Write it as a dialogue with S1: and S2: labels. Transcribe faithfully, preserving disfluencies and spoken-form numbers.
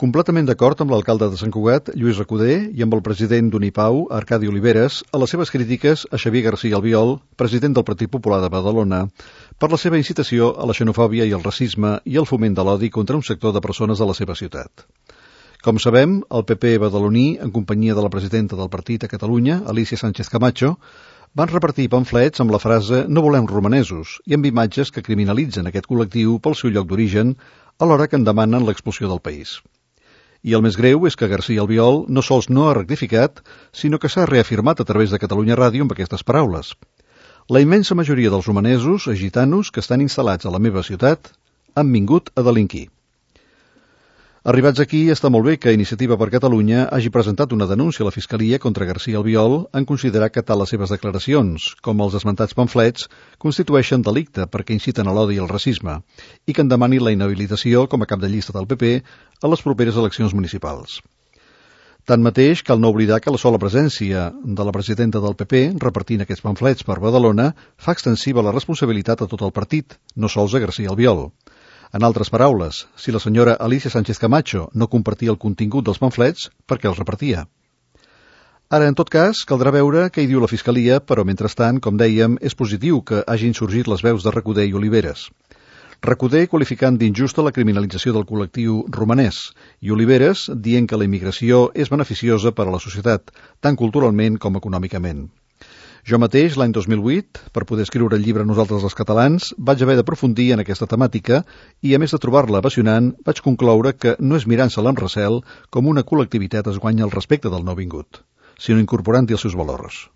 S1: Completament d'acord amb l'alcalde de Sant Cugat, Lluís Recoder, i amb el president d'Unipau, Arcadi Oliveres, a les seves crítiques a Xavier García Albiol, president del Partit Popular de Badalona, per la seva incitació a la xenofòbia i el racisme i el foment de l'odi contra un sector de persones de la seva ciutat. Com sabem, el P P badaloní, en companyia de la presidenta del partit a Catalunya, Alicia Sánchez Camacho, van repartir pamflets amb la frase «No volem romanesos» i amb imatges que criminalitzen aquest col·lectiu pel seu lloc d'origen, alhora que en demanen l'expulsió del país. I el més greu és que García Albiol no sols no ha rectificat, sinó que s'ha reafirmat a través de Catalunya Ràdio amb aquestes paraules. La immensa majoria dels romanesos, gitanos, que estan instal·lats a la meva ciutat, han vingut a delinquir. Arribats aquí, està molt bé que Iniciativa per Catalunya hagi presentat una denúncia a la Fiscalia contra García Albiol en considerar que tal les seves declaracions, com els esmentats pamflets, constitueixen delicte perquè inciten a l'odi i el racisme, i que en demani la inhabilitació com a cap de llista del P P a les properes eleccions municipals. Tanmateix, cal no oblidar que la sola presència de la presidenta del P P repartint aquests pamflets per Badalona fa extensiva la responsabilitat a tot el partit, no sols a García Albiol. En altres paraules, si la senyora Alicia Sánchez Camacho no compartia el contingut dels pamflets, per què els repartia? Ara, en tot cas, caldrà veure què hi diu la Fiscalia, però mentrestant, com dèiem, és positiu que hagin sorgit les veus de Recoder i Oliveres. Recoder qualificant d'injusta la criminalització del col·lectiu romanès i Oliveres dient que la immigració és beneficiosa per a la societat, tant culturalment com econòmicament. Jo mateix, l'any dos mil vuit, per poder escriure el llibre Nosaltres els catalans, vaig haver d'aprofundir en aquesta temàtica i, a més de trobar-la apassionant, vaig concloure que no és mirant-se-la amb recel com una col·lectivitat es guanya el respecte del nouvingut, sinó incorporant-hi els seus valors.